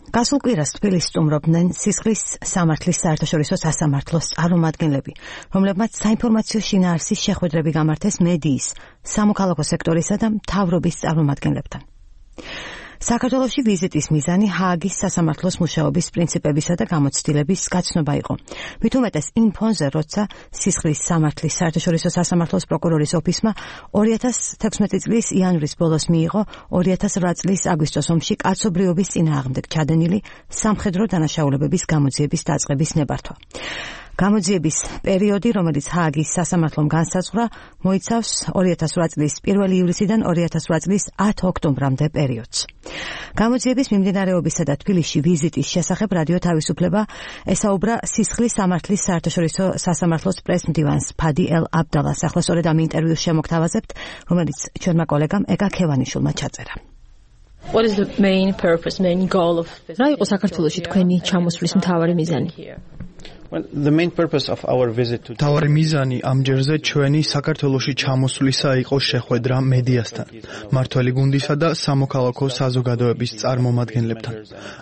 გასულ კვირას თბილისს სტუმრობდნენ სისხლის სამართლის საერთაშორისო სასამართლოს წარმომადგენლები, რომლებმაც საინფორმაციო შინაარსის შეხვედრები გამართეს მედიის, სამოქალაქო სექტორისა და მთავრობის წარმომადგენლებთან. საქართველოში ვიზიტის მიზანი ჰააგის სასამართლოს მუშაობის პრინციპებისა და გამოცდილების გაცნობა იყო. მით უმეტეს იმ ფონზე, როცა სისხლის სამართლის საერთაშორისო სასამართლოს პროკურორის ოფისმა 2016 წლის იანვრის ბოლოს მიიღო 2008 წლის აგვისტოს ომში კაცობრიობის წინააღმდეგ ჩადენილი სამხედრო დანაშაულებების გამოძიების დაწყების ნებართვა. გამოძიების პერიოდი, რომელიც ჰააგის სასამართლომ განსაზღვრა, მოიცავს 2008 წლის 1 ივლისიდან 2008 წლის 10 ოქტომბრამდე პერიოდს. გამოძიების მიმდინარეობისა და თბილისში ვიზიტის შესახებ რადიო თავისუფლება ესაუბრა სისხლის სამართლის საერთაშორისო სასამართლოს პრესმდივანს ფადი ელ-აბდალას. ახლა სწორედ ამ ინტერვიუს შემოგთავაზებთ, რომელიც ჩვენმა კოლეგამ ეკა ქევანიშვილმა ჩაწერა. What is the main purpose, main goal of this? რა იყო საქართველოში თქვენი ჩამოსვლის მთავარი მიზანი? Well, the main purpose of our visit to თავარი მიზანი ამჯერზე ჩვენი საქართველოში ჩამოსვლისა იყო შეხვედრა მედიასთან, მართველი გუნდისა და სამოქალაქო საზოგადოების წარმომადგენლებთან.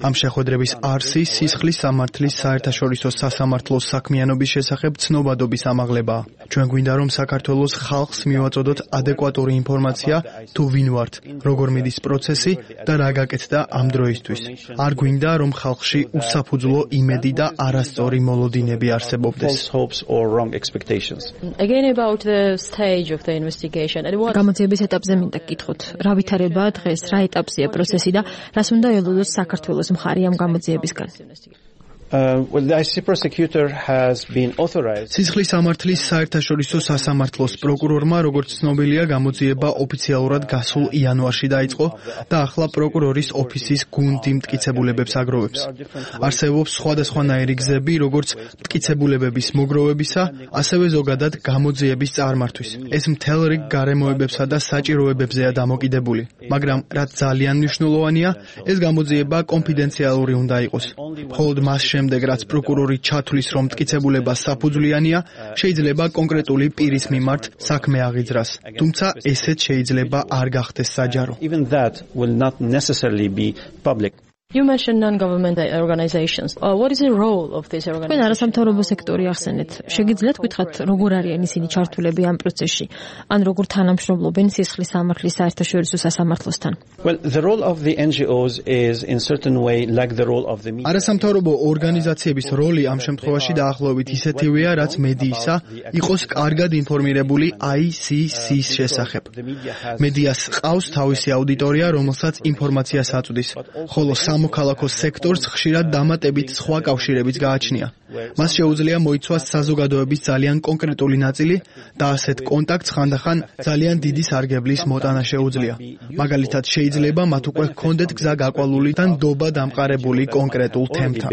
ამ შეხვედრების არსი სისხლის სამართლის საერთაშორისო სასამართლოს საქმიანობის შესახებ ცნობადობის ამაღლებაა. ჩვენ გვინდა რომ საქართველოს ხალხს მივაწოდოთ ადეკვატური ინფორმაცია თუ ვინ ვართ, როგორ მიდის პროცესი და რა გაკეთდა ამ დროისთვის. არ გვინდა რომ ხალხში უსაფუძვლო იმედი და არასწორი მოლოდინები არსებობდეს. Again about the stage of the investigation. გამოძიების ეტაპზე მინდა გკითხოთ, რა ვითარებაა დღეს, რა ეტაპზეა პროცესი და რას უნდა ელოდოს საქართველოს მხარი ამ გამოძიებისგან? Well, the ICC prosecutor has been authorized. სისხლის სამართლის საერთაშორისო სასამართლოს პროკურორმა, როგორც ცნობილია, გამოძიება ოფიციალურად გასულ იანვარში დაიწყო და ახლა პროკურორის ოფისის გუნდი მტკიცებულებებს აგროვებს. არსებობს სხვადასხვანაირი გზები, როგორც მტკიცებულებების მოგროვებისა, ასევე ზოგადად გამოძიების წარმართვის. ეს მთელ რიგ გარემოებებსა და საჭიროებებზეა დამოკიდებული, მაგრამ რაც ძალიან მნიშვნელოვანია, ეს გამოძიება კონფიდენციალური უნდა იყოს. მხოლოდ მას შემდეგ, რაც პროკურორი ჩათვლის, რომ მტკიცებულება საფუძვლიანია, შეიძლება კონკრეტული პირის მიმართ საქმე აღიძრას. თუმცა ესეც შეიძლება არ გახდეს საჯარო. Even that will not necessarily be public. You mentioned non-government organizations. What is the role of these თქვენ organizations? არასამთავრობო სექტორი ახსენეთ. შეგიძლიათ გითხრათ, როგორ არიან ისინი ჩართულები ამ პროცესში? ან როგორ თანამშრომლობენ სისხლის სამართლის საერთაშორისო სასამართლოსთან? Well, the role of the NGOs is in certain way like the role of the media. არასამთავრობო ორგანიზაციების როლი ამ შემთხვევაში დაახლოებით ისეთივეა, რაც მედიისა იყოს კარგად ინფორმირებული ICC-ს შესახებ. მედიას ყავს თავისი აუდიტორია, რომელსაც ინფორმაციას აწვდის, ხოლო სამოქალაქო სექტორს ხშირად დამატებით სხვა კავშირებიც გააჩნია. მას შეუძლია მოიცვას საზოგადოების ძალიან კონკრეტული ნაწილი და ასეთ კონტაქტს ხანდახან ძალიან დიდი სარგებლის მოტანა შეუძლია. მაგალითად, შეიძლება მათ უკვე ჰქონდეთ გზა გაკვალული და ნდობა დამყარებული კონკრეტულ თემთან.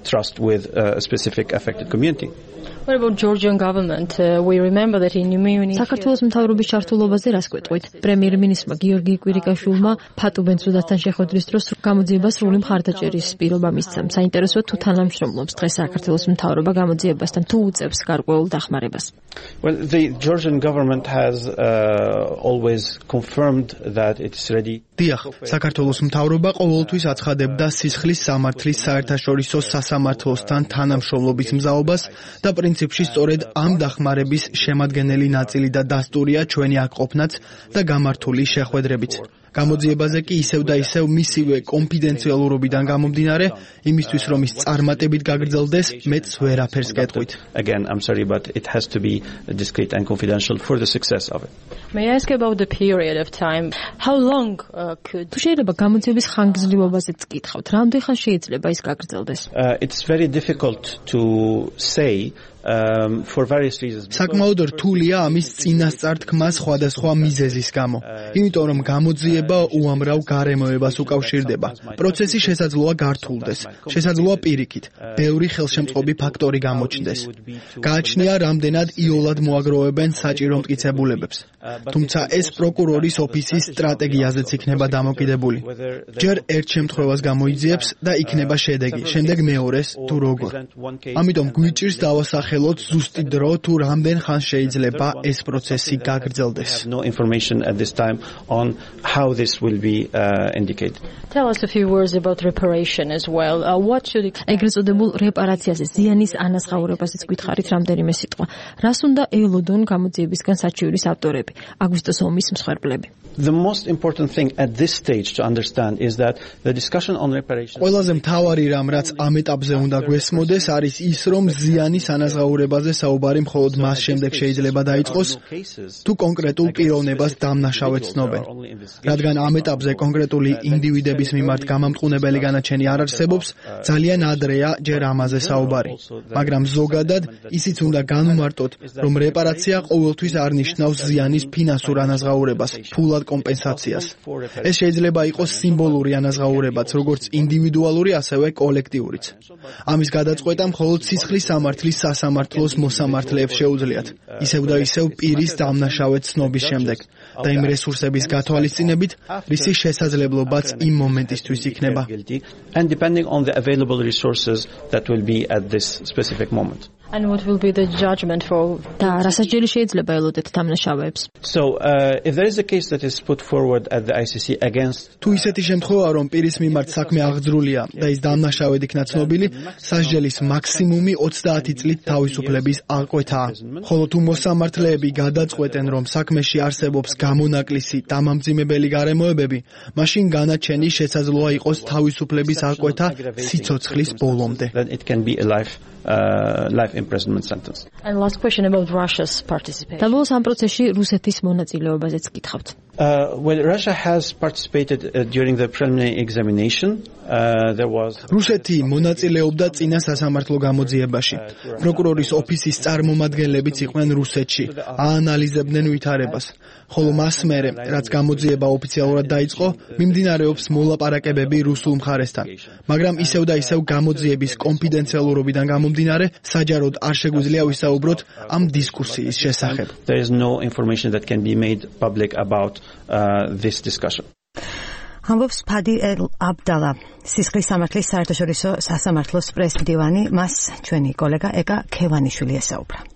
Trust with a specific affected community. What about Georgian government? We remember that in Munich. საქართველოს მთავრობის ჩართულობაზე რას გვეტყვით? პრემიერ-მინისტრმა გიორგი კვირიკაშვილმა ფატუ ბენწუდასთან შეხვედრის დროს გამოძიებას სრული მხარდაჭერის პირობა მისცა. საინტერესოა თუ თანამშრომლობს დღეს საქართველოს მთავრობა გამოძიებასთან, თუ უწევს გარკვეულ დახმარებას. Well, the Georgian government has always confirmed that it's ready. დიახ, საქართველოს მთავრობა ყოველთვის აცხადებდა სისხლის სამართლის საერთაშორისო სასამართლოსთან თანამშრომლობის მზაობას და პრინციპში სწორედ ამ დახმარების შემადგენელი ნაწილი და დასტურია ჩვენი აქ ყოფნაც და გამართული შეხვედრებიც. გამოძიებაზე კი ისევ და ისევ მისივე კონფიდენციალურობიდან გამომდინარე, იმისთვის რომ ის წარმატებით გაგრძელდეს, მეც ვერაფერს გეტყვით. Again, I'm sorry, but it has to be discreet and confidential for the success of it. May I ask about the period of time? How long could თუ შეიძლება გამოძიების ხანგრძლივობაზეც გითხავთ, რამდენ ხანს შეიძლება ის გაგრძელდეს? It's very difficult to say for various reasons. საკმაოდ რთულია ამის წინასწარ-თქმა სხვადასხვა მიზეზის გამო. იმიტომ რომ გამოძიება უამრავ გარემოებას უკავშირდება. პროცესი შესაძლოა გართულდეს, შესაძლოა პირიქით, ბევრი ხელშემწყობი ფაქტორი გამოჩნდეს. გააჩნია რამდენად იოლად მოაგროვებენ საჭირო მტკიცებულებებს. თუმცა ეს პროკურორის ოფისის სტრატეგიაზეც იქნება დამოკიდებული. ჯერ ერთ შემთხვევას გამოიძიებს და იქნება შედეგი, შემდეგ მეორეს თუ როგორ. ამიტომ გვიჭირს დავასახელოთ ზუსტი დრო თუ რამდენ ხანს შეიძლება ეს პროცესი გაგრძელდეს. Tell us a few words about reparation as well. What should ეგრეთ წოდებულ რეპარაციაზე, ზიანის ანაზღაურებაზეც გითხარით რამდენიმე სიტყვა. რას უნდა ელოდონ გამოძიებისგან საჩივრის ავტორები, აგვისტოს ომის მსხვერპლები? The most important thing at this stage to understand is that the discussion on reparations. ყველაზე მთავარი რამ, რაც ამ ეტაპზე უნდა გვესმოდეს, არის ის, რომ ზიანის ანაზღაურებაზე საუბარი მხოლოდ მას შემდეგ შეიძლება დაიწყოს, თუ კონკრეტულ პიროვნებას დამნაშავედ ცნობენ. რადგან ამ ეტაპზე კონკრეტული ინდივიდების მიმართ გამამტყუნებელი განაჩენი არ არსებობს, ძალიან ადრეა ჯერ ამაზე საუბარი. მაგრამ ზოგადად ისიც უნდა განვმარტოთ, რომ რეპარაცია ყოველთვის არ ნიშნავს ზიანის ფინანსურ ანაზღაურებას, ფულად კომპენსაციას. ეს შეიძლება იყოს სიმბოლური ანაზღაურებაც, როგორც ინდივიდუალური, ასევე კოლექტიურიც. ამის გადაწყვეტა მხოლოდ სისხლის სამართლის სასამართლოს მოსამართლეებს შეუძლიათ, ისევ და ისევ პირის დამნაშავედ ცნობის შემდეგ და იმ რესურსების გათვალისწინებით, რისი შესაძლებლობაც იმ მომენტისთვის იქნება. And depending on the available resources that will be at this specific moment. And what will be the judgment for და რასაც შეიძლება ელოდეთ დამნაშავეებს? So if there is a case that is put forward at the ICC against თუ ისეთი შემთხვევა, რომ პირის მიმართ საქმე აღძრულია და ის დამნაშავედ იქნა ცნობილი, სასჯელის მაქსიმუმი 30 წლით თავისუფლების აღკვეთაა. ხოლო თუ მოსამართლეები გადაწყვეტენ, რომ საქმეში არსებობს გამონაკლისი დამამძიმებელი გარემოებები, მაშინ განაჩენი შესაძლოა იყოს თავისუფლების აღკვეთა სიცოცხლის ბოლომდე. then it can be a life imprisonment sentence. And last question about Russia's participation. და ბოლოს ამ პროცესში რუსეთის მონაწილეობაზეც გითხავთ. Well, Russia has participated during the preliminary examination. There was რუსეთი მონაწილეობდა წინა სასამართლო გამოძიებაში. პროკურორის ოფისის წარმომადგენლებიც იყვნენ რუსეთში, აანალიზებდნენ ვითარებას. ხოლო მას მერე, რაც გამოძიება ოფიციალურად დაიწყო, მიმდინარეობს მოლაპარაკებები რუსულ მხარესთან. მაგრამ ისევ და ისევ გამოძიების კონფიდენციალურობიდან გამომდინარე, საჯაროდ არ შეგვიძლია ვისაუბროთ ამ დისკუსიის შესახებ. There is no information that can be made public about this discussion. ამბობს ფადი აბდალა, სისხლის სამართლის საერთაშორისო სასამართლოს პრეზიდენტი, მას ჩვენი კოლეგა ეკა ქევანიშვილი ესაუბრა.